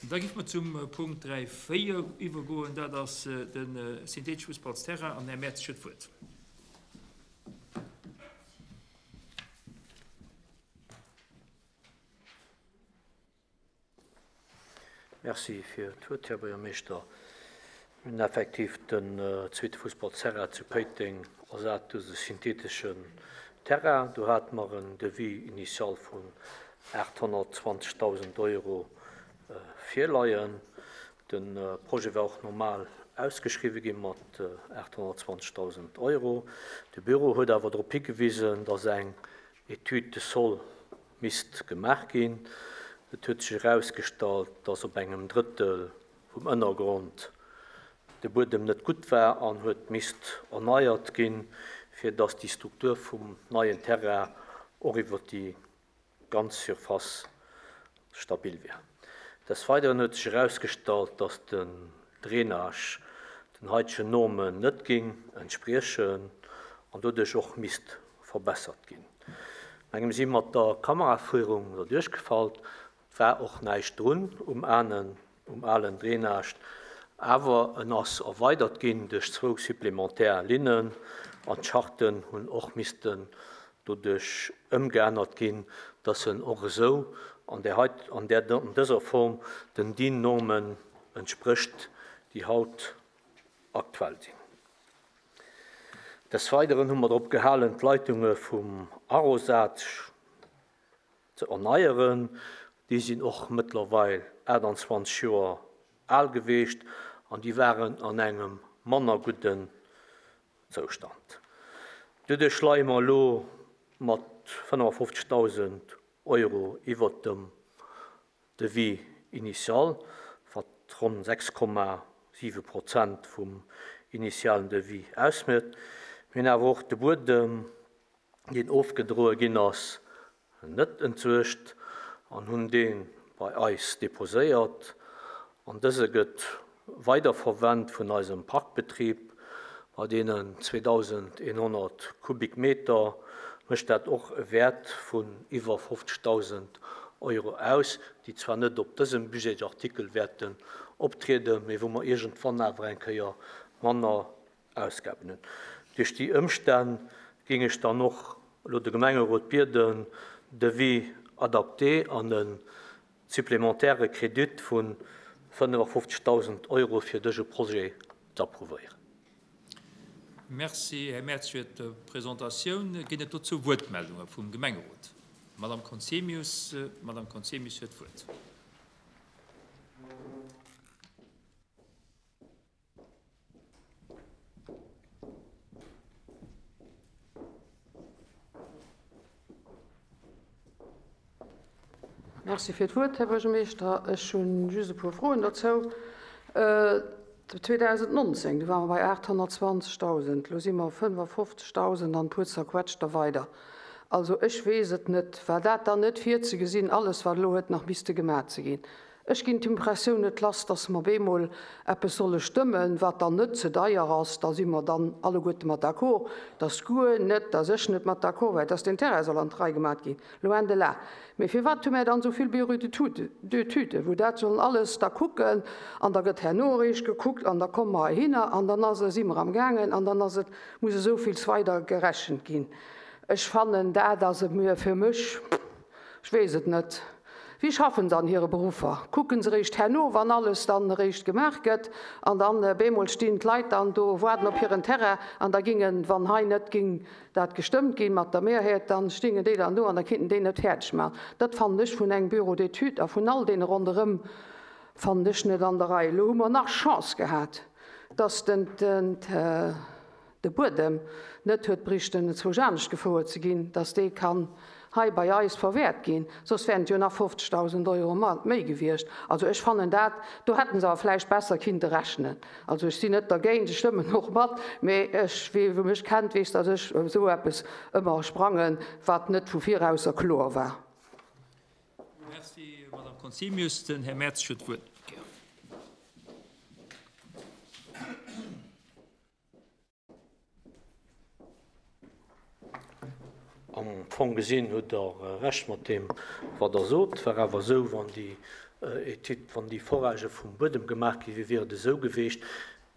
Da géife mer zum Punkt 3, 4 iwwergoen. Dat ass de syntheetesche Fussballsterrain an den Här Mertz huet d'Wuert. Merci fir d'Wuert, Här Buergermeeschter. Mir hunn effektiv den zweete Fussballterrain zu Péiteng ersat duerch e syntheeteschen Terrain. Do hate mer en Devis initial vun 820.000 Euro virleien. De Projet war och normal ausgeschriwwe gi mat 820.000 Euro. De Büro huet awer drop higewisen, dass eng Étude de sol misst gemaach ginn. Et huet sech erausgestallt, dass op engem Drëttel vum Ënnergrond de Buedem net gutt war an huet misst erneiert ginn, fir dass déi Struktur vum neien Terrain och iwwer déi ganz Surface stabil wier. Des Weideren huet sech erausgestallt, dass den Drainage den haitegen Normen net géing entspriechen an doduerch och misst verbessert ginn. No engem si mat der Kameraféierung derduerch gefall, war och näischt drun um um alen Drainage, awer en ass erweidert ginn duerch zwou supplémentaire Linnen an d'Scharten hunn och missten doduerch ëmgeännert ginn, dass en och esou an där heit an där an dëser Form den DIN-Normen entsprécht, déi haut aktuell sinn. Des Weideren hu mer drop gehalen, d'Leitunge vum Arrosage ze erneieren. Déi sinn och mëttlerweil 28 Joer al geweecht an déi waren an engem manner gudden Zoustand. Doduerch leie mer elo mat 55.000 Euro iwwert dem Devis initial, wat ronn 6,7 Prozent vum initialen Devis ausmécht. Mir hunn awer och de Buedem, deen ofgedroe ginn ass, net entsuergt an hunn dee bei eis deposéiert an dëse gëtt weiderverwent vun eisem Parkbetrib. Bei deenen 2.100 Kubikmeter mécht dat och e Wäert vun iwwer 50.000 Euro aus, déi zwar net op dësem Budgetsartikel wäerten optrieden, mee wou mer iergendwann awer eng Kéier manner Ausgaben hunn. Duerch déi Ëmstänn géing ech dann och elo de Gemengerot bieden, Devis adapté an e supplémentaire Kredit vu 55.000 Euro fir dëse Projet z'approuvéieren. Merci, Här Mertz, fir d'Presentatioun. Ginn et dozou Wuertmeldunge vum Gemengerot? D'Madame Conzemius. D'Madame Conzemius huet d'Wuert. Merci fir d'Wuert, Här Buergermeeschter. Ech hu just e puer Froen dozou. 2019, do ware mer bei 820.000, elo si mer 55.000 an e puer zerquetschter weider. Also ech weess et net, war dat dann net virzegesinn, alles wat elo huet nach misste gemaach ze ginn? Ech ginn d'Impressioun net lass, dass mer bemol eppes solle stëmmen, wat dann net ze deier ass, da si mer dann alleguerte mat d'accord, dass guer net, dass ech net mat d'accord war, dass deen Terrain soll an d'Rei gemat ginn, loin de là. Mee firwat hu mär dann esou vill Bureaux d'études, wou dat sollen alles da kucken an da gëtt herno eréischt gekuckt an da komme mer heihinner an dann ass, si mer amgaangen an dann ass et, muss esou villes weider gerechent ginn. Ech fannen, dat ass fir mech, Ech weess et net. Wéi schaffen se an hire Beruffer? Kucken se eréischt herno, wann alles dann eréischt gemaach gëtt, an dann bemol stinn d'Leit dann do, waarden op hiren Terrain, an da gingen, wann hei net ging dat gestëmmt ginn mat der Mehrheet, dann stingen déi dann do an da kinnten déi net fäerdeg maachen. Dat fannen ech vun engem Bureau d'études a vun all deene ronderëm fannen ech net an der Rei. Elo hu mer nach Chance gehat, dass den. de Buedem net huet bréichten zwousch anescht gefouert ze ginn, dass dee kann hei bei eis verwäert ginn, soss wären et jo nach 50.000 Euro méi gewiescht. Also ech fannen dat, do hätten se awer vläicht besser kinnte rechnen. Also ech sinn net dergéint, ech stëmmen och mat, mee ech, wee mech kennt, weess, dass ech op esou eppes ëmmer sprangen, wat net vu virausser kloer war. Merci, Madame Conzemius. Den Här Mertz huet d'Wuert. Am Fong gesinn hutt Der Recht mat deem, wat Der sot. Et war awer esou, wann déi. Etüd, wann déi Foragë vum Buedem gemaach gi wier, wier et esou geweecht.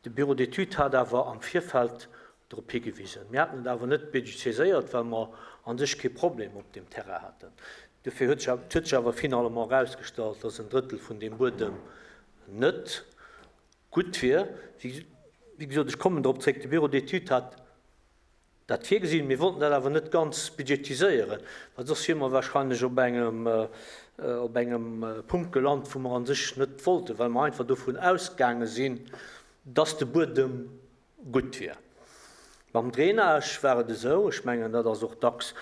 De Bureau d'études hat awer am Virfeld drop higewisen. Mir haten et awer net budgetiséiert, well mer a sech kee Problem op deem Terrain haten. Dofir huet sech, et huet sech awer finalement erausgestallt, dass en Drëttel vun deem Buedem net gutt wier. Wéi gesot, ech kommen drop zréck, de Bureau d'études hat dat virgesinn. Mir wollten dat awer net ganz budgetiséieren, well soss wiere mer wahrscheinlech op engem, op engem Punkt gelant, wou mer a sech net wollten, well mer einfach dovun ausgaange sinn, dass de Buedem gutt wier. Mam Drainage war et esou, ech mengen, dat ass och dacks,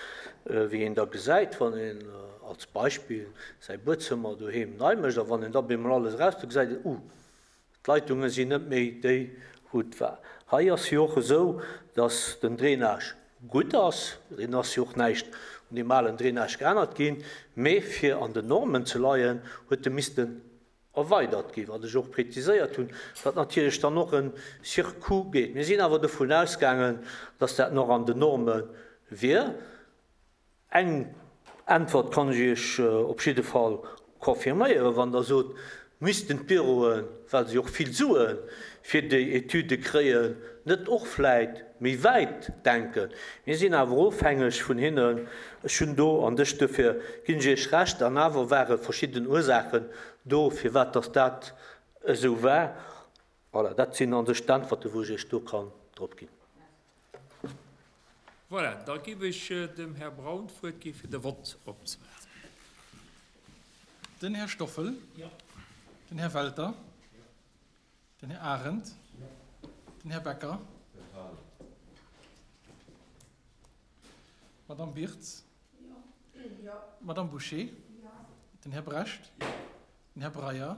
wéi een da gesäit, wann een als Beispill säi Buedzëmmer doheem nei mécht a wann een da bemol alles eraus, da gesäit een, Uh, d'Leitunge sinn net méi déi, wou et war. Hei ass jo och esou, dass den Drainage gutt ass, deen ass jo och näischt un deem alen Drainage geännert ginn, mee fir an den Normen ze leien, huet e missten erweidert ginn, wat ech och präziséiert hunn, wat natierlech dann och en Surcoût gétt. Mir sinn awer dovun ausgaangen, dass dat nach an den Norme wier. Eng Äntwert kann ech Iech op jidde Fall confirméieren, Wann Der sot, missten d'Büroen, well se och vill Sue fir déi Etüde kréien, net och vläit méi wäit denken. Mir sinn awer ofhängeg vun hinnen. Ech hunn do an dech, duerfir ginn ech Iech Recht, an awer ware verschidden Ursaachen do, firwat dass dat esou war. Voilà, dat sinn an sech d'Äntwerten, wou ech Iech do kann drop ginn. Voilà, da géif ech dem Här Braun d'Wuert gi fir de Vott opzemaachen. Den Här Stoffel. Den Här Welter. Den Här Arendt. Den Här Becker. D'Madame Birtz. D'Madame Bouché. Den Här Brecht. Den Här Breyer.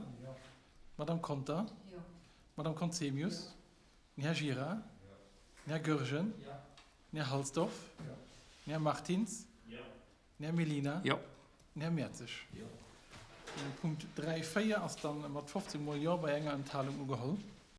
D'Madame Conter. D'Madame Conzemius. Den Här Gira. Den Här Goergen. Den Här Halsdorf. Den Här Martins. Den Här Mellina. Den Här Mertzig. Den Punkt 3, 4 ass dann mat 15 mol Jo bei enger Enthalung ugeholl.